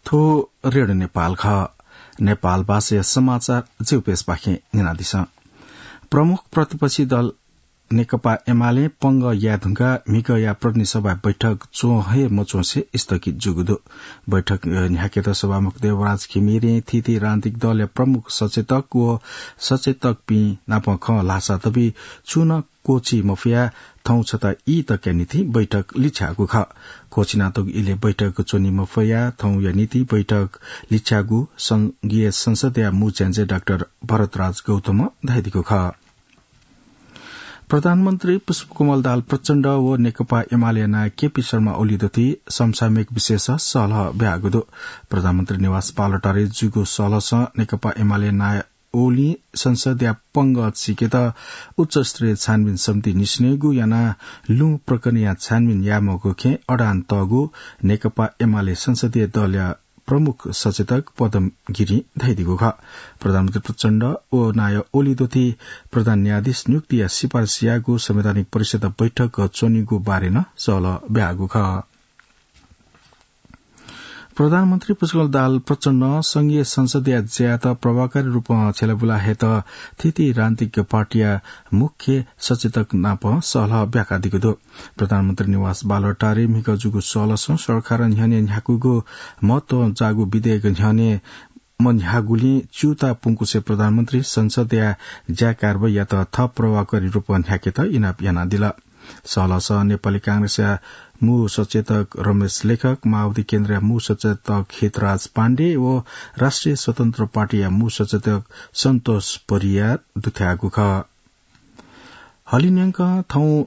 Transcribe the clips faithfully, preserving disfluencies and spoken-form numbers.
थ्व रेडियो नेपाल खः। नेपाल भाषाया समाचार ज्यूपेशपाखें न्यनादिसँ। प्रमुख प्रतिपक्षी दल नेकपा एमाले पंगः याये धुंकाः म्हिगःया प्रतिनिधि सभा बैठक च्वं हे मच्वंसे स्थगित जूगु दु। बैठक न्ह्याकेत सभामुख देवराज घिमिरें थीथी राजनीतिक दलया प्रमुख सचेतक व सचेतकपिं नाप खँ ल्हाःसा तबि छुं नं क्वःछी मफयाः थौं छता ई तकया निंतिं बैठक लिछ्याःगु खः। क्वःछिनातःगु इलय् बैठक च्वनी मफयाः थौंया निंतिं बैठक लिछ्याःगु संघीय संसदया मू च्यान्जे डाक्टर भरतराज गौतमं धयादीगु खः। प्रधानमन्त्री पुष्पकमल दाहाल प्रचण्ड व नेकपा एमाले नायः केपी शर्मा ओली दथुइ समसामयिक विषयस सहलह ब्याहागु दु। प्रधानमन्त्री निवास बालुवाटारय् जूगु सहलहसं नेकपा एमाले नायः ओलीं संसदया पंगः चीकेत उच्चस्तरीय छानबिन समिति निसेनय्गु यानाः लुँ प्रकरणया छानबिन यायेमाःगु खँय् अडान तःगु नेकपा एमाले संसदीय दलया प्रमुख सचेतक पदम गिरिं धयादीगु खः। प्रधानमन्त्री प्रचण्ड व नायः ओली दथुइ प्रधान न्यायाधीश नियुक्तिया सिफारिस याःगु संवैधानिक परिषद बैठक च्वनीगु बारे नं सहलह ब्याहागु खः। प्रधानमन्त्री पुष्पकमल दाहाल प्रचण्डं संघीय संसदया ज्यायात प्रभावकारी रूपं छ्यलाबुला हयेत थीथी राजनीतिक पार्टीया मुख्य सचेतक नाप सहलह ब्याकादीगु दु। प्रधानमन्त्री निवास बालुवाटारय् म्हिगः जूगु सहलहसं सरकारं न्ह्यःने न्ह्याकूगु महत्व जाःगु विधेयक न्ह्यःने मन्ह्याःगुलिं च्यूताः पुंकुसे प्रधानमन्त्री संसदया ज्या कारवाहीयात थप प्रभावकारी रूपं न्ह्याकेत इनाप यानादिल। सहलहसं नेपाली कांग्रेसया मू सचेतक रमेश लेखक, माओवादी केन्द्रया मू सचेतक हितराज पाण्डे व राष्ट्रिय स्वतन्त्र पार्टीया मू सचेतक सन्तोष परियार दुथ्याःगु खः। हलिं न्यंकं थौं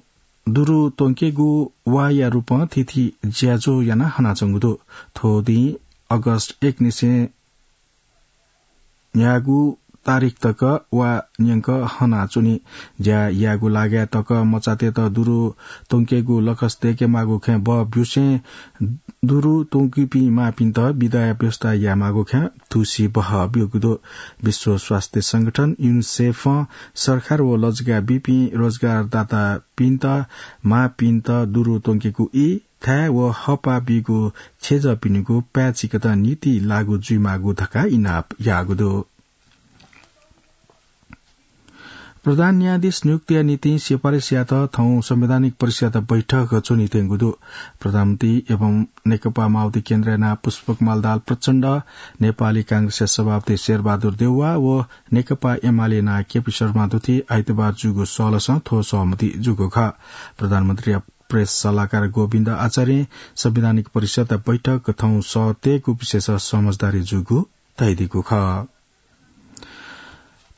दुरु त्वंकेगु वाःया रूपं थीथी ज्याझ्वः यानाः हनाच्वंगु दु। थ्व दिं अगस्त एक निसें न्यागू तारिख तक वा न्यंक हनाच्वनी। ज्या यायेगु लागाय् तक मचातय्त दुरु त्वंकेगु लकस दय्केमाःगु खँय् बः ब्यूसें दुरु त्वंकीपिं मांपिन्त बिदाया व्यवस्था यायेमाःगु खँय् थुसी बः ब्यूगु दु। विश्व स्वास्थ्य संगठन, युनिसेफं सरकार व लजगाः बीपिं रोजगारदातापिन्त मांपिन्त दुरु त्वंकेगु ई, थाय् व हःपाः बीगु छेँजःपिनिगु पाय् चीकेत नीति लागू जुइमाःगु धकाः इनाप याःगु दु। प्रधान न्यायाधीश नियुक्तिया निंतिं सिफारिस यायेत थौं संवैधानिक परिषदया बैठक च्वनीत्यंगु दु। प्रधानमन्त्री एवं नेकपा माओवादी केन्द्रया नायः पुष्पकमल दाहाल प्रचण्ड, नेपाली कांग्रेसया सभापति शेरबहादुर देउवा व नेकपा एमाले नायः केपी शर्मा दथुइ आइतबार जूगु सहलहसं थ्व सहमति जूगु खः। प्रधानमन्त्रीया प्रेस सल्लाहकार गोविन्द आचार्यं संवैधानिक परिषदया बैठक थौं सः तयेगु विषयस समझदारी जूगु धयादीगु खः।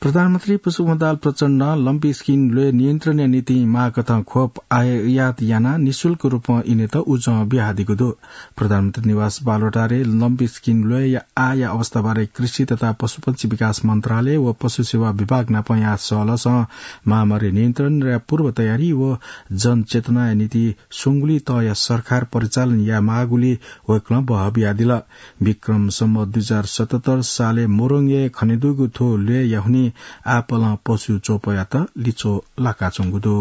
प्रधानमन्त्री पुष्पकमल दाहाल प्रचण्डं लम्पी स्किन ल्वय् नियन्त्रणया निंतिं माःकथं खोप आयात यानाः निशुल्क रूपं इनेत उजं बियादीगु दु। प्रधानमन्त्री निवास बालुवाटारय् लम्पी स्किन ल्वय्‌या आःया अवस्थाबारे कृषि तथा पशुपक्षी विकास मन्त्रालय व पशु सेवा विभाग नाप यानाः सहलहसं महामारी नियन्त्रणया पूर्व तयारी व जनचेतनाया निंतिं स्वंगुलिं तःया सरकार परिचालन यायेमाःगुलिं वय्‌कलं बहः बियादिल। विक्रम सम्वत दुई हजार सतहत्तर सालय् मोरङय् खनेदुगु थ्व ल्वय्‌या हुनिं आपालं पशु च्वपयात लिच्वः लाकाच्वंगु दु।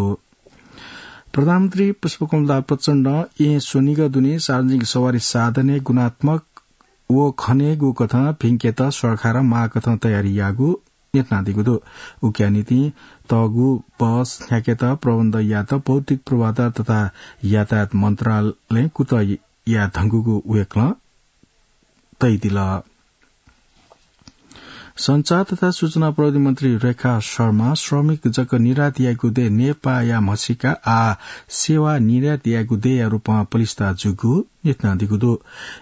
प्रधानमन्त्री पुष्पकमल दाहाल प्रचण्डं येँ स्वनिगः दुने सार्वजनिक सवारी साधनय् गुणात्मक व खनेगु कथं भिंकेत सरकारं माःकथं तयारी याःगु न्ह्यथनादीगु दु। उकिया निंतिं तःगु बस न्ह्याकेत प्रबन्ध यायेत भौतिक पूर्वाधार तथा यातायात मन्त्रालयं कुतः याये धुंकूगु वय्‌कलं तयादिल। सञ्चार तथा सूचना प्रविधि मन्त्री रेखा शर्मां श्रमिक जक निर्यात याइगु दँय् नेपाःया म्हसीका आः सेवा निर्यात याइगु दँय्‌या रूपं पलिस्था जूगु न्ह्यथनादीगु दु।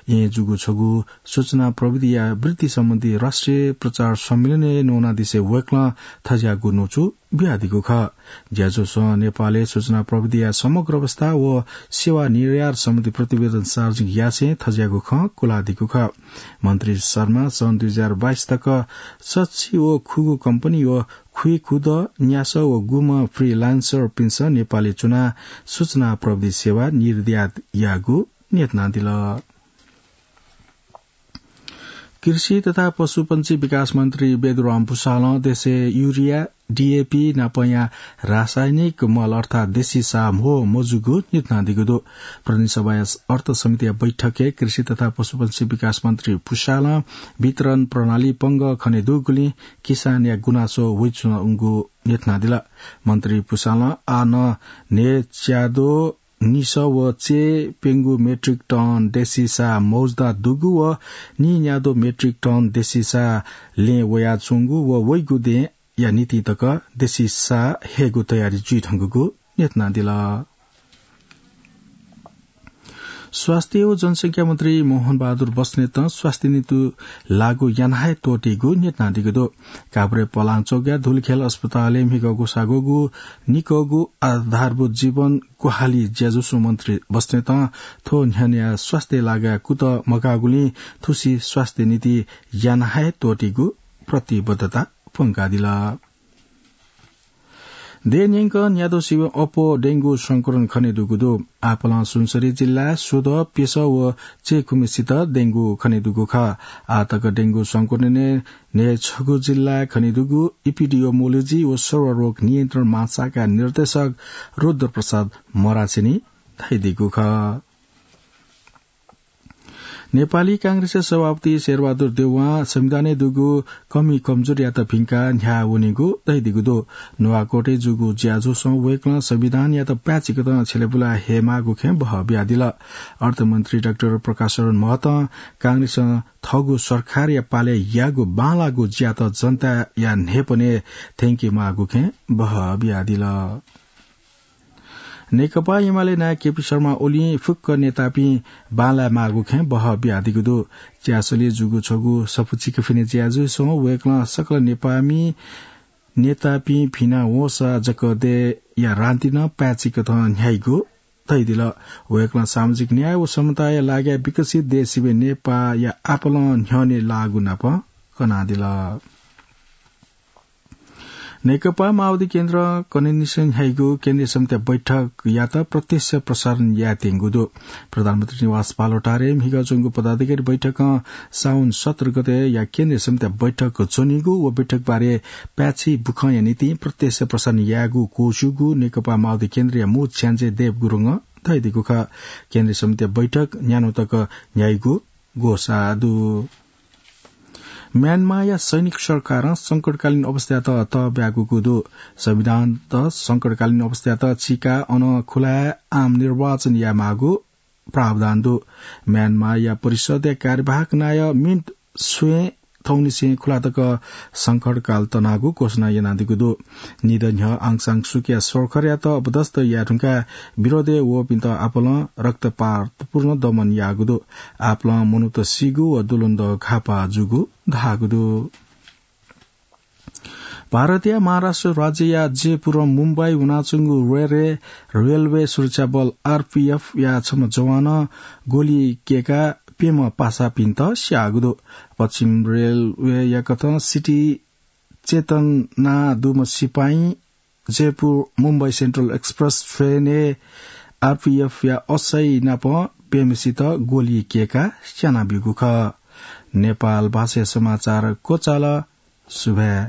येँ जूगु छगू सूचना प्रविधिया वृद्धि सम्बन्धी राष्ट्रिय प्रचार सम्मेलनय् न्वनादिसे वय्‌कलं थज्याःगु न्वचु बियादीगु खः। ज्याझ्वलय् नेपालय् सूचना प्रविधिया समग्र अवस्था व सेवा निर्यात सम्बन्धी प्रतिवेदन सार्वजनिक यासें थज्याःगु खँ क्वलादीगु खः। मन्त्री शर्मां सन् दुई हजार बाइस तक सच्छि व खुगू कम्पनी व खुइखुदँ, न्यासः व गुम्ह फ्रिलान्सरपिन्सं नेपालय् च्वनाः सूचना प्रविधि सेवा निर्यात याःगु न्ह्यथनादिल। कृषि तथा पशुपंक्षी विकास मन्त्री बेदुराम भुसालं देशय् युरिया, डीएपी नापंया रासायनिक मल अर्थात् देशी साः म्हो मजूगु न्ह्यथनादीगु दु। प्रतिनिधि सभाया अर्थ समितिया बैठकय् कृषि तथा पशुपंक्षी विकास मन्त्री भुसालं वितरण प्रणाली पंगः खने दुगुलिं किसानया गुनासो वइच्वंगु न्ह्यथनादिल। मन्त्री भुसालं आः नं न्हय् च्याद्वः निसः व च्यय् प्यंगू मेट्रिक टन देशी साः मौजुदा दुगु व नीन्याद्वः मेट्रिक टन देशी साः लँय् वयाच्वंगु व वइगु दँय्‌या निंतिं तक देशी साः हयेगु तयारी जुइधुंकूगु न्ह्यथनादिल। स्वास्थ्य व जनसंख्या मन्त्री मोहन बहादुर बस्नेतं स्वास्थ्य नीति लागू याना हे त्वःतीगु न्ह्यथनादीगु दु। काभ्रे पलाञ्चोकया धुलिखेल अस्पतालय् म्हिगः ग्वसाः ग्वःगु निकःगु आधारभूत जीवन ग्वाहालि ज्याझ्वलय् मन्त्री बस्नेतं थ्व न्ह्यःने स्वास्थ्य लागाय् कुतः मगाःगुलिं थुसी स्वास्थ्य नीति याना हे त्वःतीगु प्रतिबद्धता प्वंकादिल। देय् न्यंकं न्याद्वः सिबें अप्वः डेंगू संक्रमण खने दुगु दु। आपालं सुनसरी जिल्लाय् स्वदँ, प्यसः व चय्‌खुम्हेसित डेंगू खने दुगु खः। आः तक डेंगू संक्रमणय् न्हय् छगू जिल्लाय् खने दुगु इपिडियोमोलोजी व सर्वरोग नियन्त्रण महाशाखा निर्देशक रुद्रप्रसाद मरासेनी धयादीगु खः। नेपाली कांग्रेसया सभापति शेरबहादुर देउवां संविधानय् दुगु कमी कमजोरीयात भिंकाः न्ह्याः वनेगु धयादीगु दु। नुवाकोटय् जूगु ज्याझ्वलय् वय्‌कलं संविधानयात पाय्‌चिकथं छ्यलेबुलाः हयेमाःगु खँय् बहः बियादिल। अर्थमन्त्री डाक्टर प्रकाश शरण महतं कांग्रेसं थःगु सरकारया पालय् याःगु बांलाःगु ज्यात जनताया न्हाय्‌पनय् थ्यंके माःगु खँय् बहः बियादिल। नेकपा एमाले नायः केपी शर्मा ओलीं फुक्क नेतापिं बांलाये माःगु खँय् बहः बियादीगु दु। च्यासलय् जूगु छगू सफूचिकफिनि ज्याझ्वलय् वय्‌कलं सकल नेकपामि नेतापिं फिना वंसा जक देय्‌या रान्ति नं पाय्‌चिकथं न्ह्याइगु धयादिल। वय्‌कलं सामाजिक न्याय व समताया लागिं विकसित देय् सिबें नेपाःया आपालं न्ह्यःने लाःगु नाप कनादिल। नेकपा माओवादी केन्द्रं कन्हय्‌निसें न्ह्याइगु केन्द्रीय समितिया बैठकयात प्रत्यक्ष प्रसारण यायेत्यंगु दु। प्रधानमन्त्री निवास बालुवाटारय् म्हिगः च्वंगु पदाधिकारी बैठकं साउन सत्र गतेया केन्द्रीय समितिया बैठक च्वनीगु व बैठकबारे पाय्‌छि बुखँया निंतिं प्रत्यक्ष प्रसारण यायेगु क्वःछ्यूगु नेकपा माओवादी केन्द्रया मू छ्याञ्जे देव गुरुङं धयादीगु खः। केन्द्रीय समितिया बैठक न्यान्हु तक न्ह्याइगु ग्वसाः दु। म्यानमारया सैनिक सरकारं संकटकालीन अवस्थायात तःब्यागूगु दु। संविधानत संकटकालीन अवस्थायात चीकाः अन खुलाय् आम निर्वाचन यायेमाःगु प्रावधान दु। म्यानमारया परिषदया कार्यवाहक नायः मिन्ट स्वयें थौंनिसें खुला तक संकटकाल तनागु घोषणा यानादीगु दु। निदँ न्ह्यः आङ सान सुकीया सरकारयात अपदस्थ याये धुंकाः विरोधय् वःपिन्त आपालं रक्तपातपूर्ण दमन याःगु दु। आपालं मनूत सीगु व दुलुन्द घाःपाः जूगु धाःगु दु। भारतया महाराष्ट्र राज्यया जयपुरं मुम्बई वनाच्वंगु रेलवे, रेलवे सुरक्षा बल, आरपीएफ या छम्ह जवानं गोली कय्काः प्यम्ह पासापिन्त स्याःगु दु। पश्चिम रेलवेया कथं सिटी चेतना दुम्ह सिपाइँ जयपुर मुम्बई सेन्ट्रल एक्सप्रेस ट्रेनय् आरपीएफ या असै नाप प्यम्हेसित गोली कय्काः स्यानाब्यूगु खः। नेपाल भाषाया समाचार क्वचाल। सुभाय्।